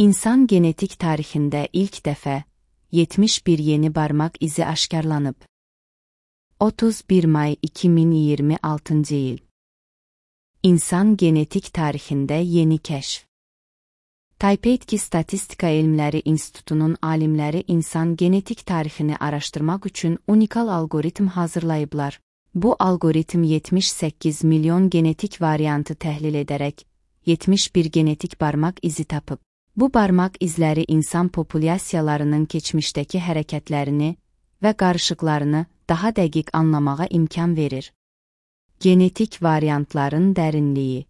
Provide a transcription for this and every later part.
İnsan genetik tarixində ilk dəfə 71 yeni barmaq izi aşkarlanıb. 31 may 2026 il. İnsan genetik tarixində yeni kəşf. Taipei Statistika Elmləri İnstitutunun alimləri insan genetik tarixini araşdırmaq üçün unikal algoritm hazırlayıblar. Bu algoritm 78 milyon genetik variantı təhlil edərək 71 genetik barmaq izi tapıb. Bu barmaq izləri insan populyasiyalarının keçmişdəki hərəkətlərini və qarışıqlarını daha dəqiq anlamağa imkan verir. Genetik variantların dərinliyi.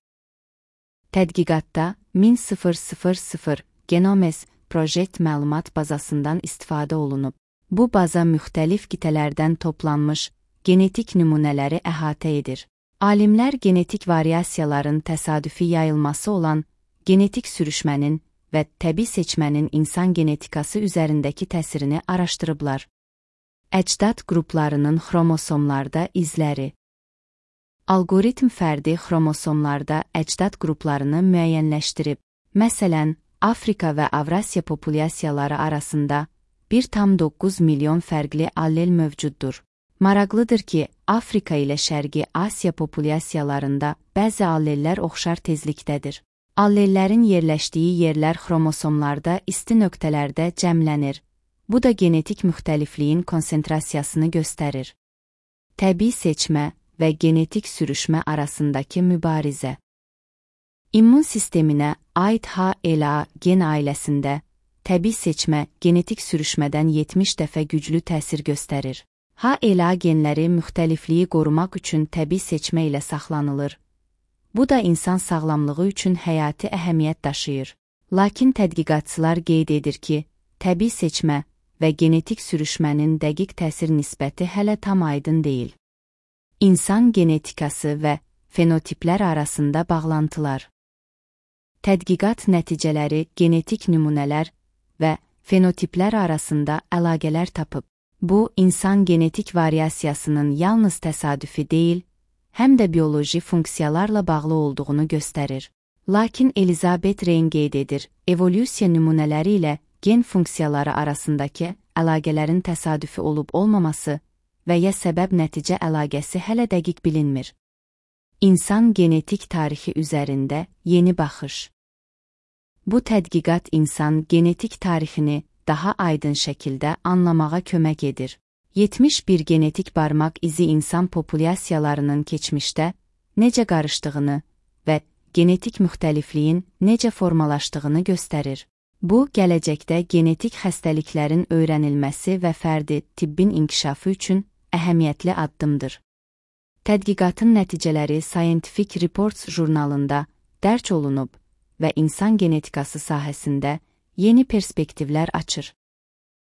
Tədqiqatda 10.000 Genomes Project məlumat bazasından istifadə olunub. Bu baza müxtəlif qitələrdən toplanmış genetik nümunələri əhatə edir. Alimlər genetik variasiyaların təsadüfi yayılması olan genetik sürüşmənin və təbii seçmənin insan genetikası üzərindəki təsirini araşdırıblar. Əcdad qruplarının xromosomlarda izləri. Algoritm fərdi xromosomlarda əcdad qruplarını müəyyənləşdirib. Məsələn, Afrika və Avrasiya populyasiyaları arasında 1,9 milyon fərqli allel mövcuddur. Maraqlıdır ki, Afrika ilə Şərqi Asiya populyasiyalarında bəzi allellər oxşar tezlikdədir. Allellərin yerləşdiyi yerlər xromosomlarda isti nöqtələrdə cəmlənir. Bu da genetik müxtəlifliyin konsentrasiyasını göstərir. Təbii seçmə və genetik sürüşmə arasındakı mübarizə. İmmun sisteminə aid HLA gen ailəsində təbii seçmə genetik sürüşmədən 70 dəfə güclü təsir göstərir. HLA genləri müxtəlifliyi qorumaq üçün təbii seçmə ilə saxlanılır. Bu da insan sağlamlığı üçün həyati əhəmiyyət daşıyır. Lakin tədqiqatçılar qeyd edir ki, təbii seçmə və genetik sürüşmənin dəqiq təsir nisbəti hələ tam aydın deyil. İnsan genetikası və fenotiplər arasında bağlantılar. Tədqiqat nəticələri genetik nümunələr və fenotiplər arasında əlaqələr tapıb. Bu, insan genetik variasiyasının yalnız təsadüfi deyil, həm də bioloji funksiyalarla bağlı olduğunu göstərir. Lakin Elizabeth Rein qeyd edir, evolyusiya nümunələri ilə gen funksiyaları arasındakı əlaqələrin təsadüfi olub-olmaması və ya səbəb-nəticə əlaqəsi hələ dəqiq bilinmir. İnsan genetik tarixi üzərində yeni baxış. Bu tədqiqat insan genetik tarixini daha aydın şəkildə anlamağa kömək edir. 71 genetik barmaq izi insan populyasiyalarının keçmişdə necə qarışdığını və genetik müxtəlifliyin necə formalaşdığını göstərir. Bu, gələcəkdə genetik xəstəliklərin öyrənilməsi və fərdi tibbin inkişafı üçün əhəmiyyətli addımdır. Tədqiqatın nəticələri Scientific Reports jurnalında dərc olunub və insan genetikası sahəsində yeni perspektivlər açır.